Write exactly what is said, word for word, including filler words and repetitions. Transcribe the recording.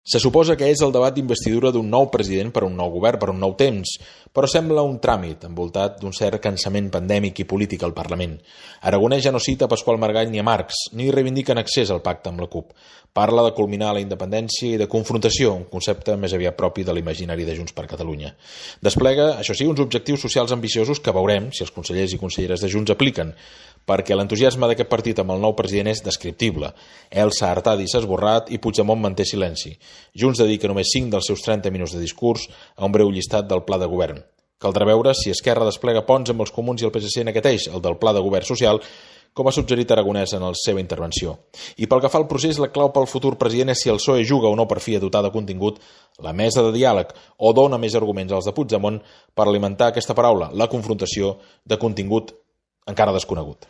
Se suposa que és el debat d'investidura d'un nou president per a un nou govern, per a un nou temps, però sembla un tràmit envoltat d'un cert cansament pandèmic i polític al Parlament. Aragonès ja no cita Pasqual Maragall ni a Marx, ni reivindica en accés al pacte amb la CUP. Parla de culminar la independència i de confrontació, un concepte més aviat propi de l'imaginari de Junts per Catalunya. Desplega, això sí, uns objectius socials ambiciosos que veurem si els consellers i conselleres de Junts apliquen, perquè l'entusiasme d'aquest partit amb el nou president és descriptible. Elsa Artadi s'ha esborrat i Puigdemont manté silenci. Junts dedica només cinc dels seus trenta minuts de discurs a un breu llistat del pla de govern. Caldrà veure si Esquerra desplega ponts amb els comuns i el P S C en aquest eix, el del pla de govern social, com ha suggerit Aragonès en la seva intervenció. I pel que fa al procés, la clau pel futur president és si el P S O E juga o no per fi a dotar de contingut la mesa de diàleg o dona més arguments als de Puigdemont per alimentar aquesta paraula, la confrontació, de contingut encara desconegut.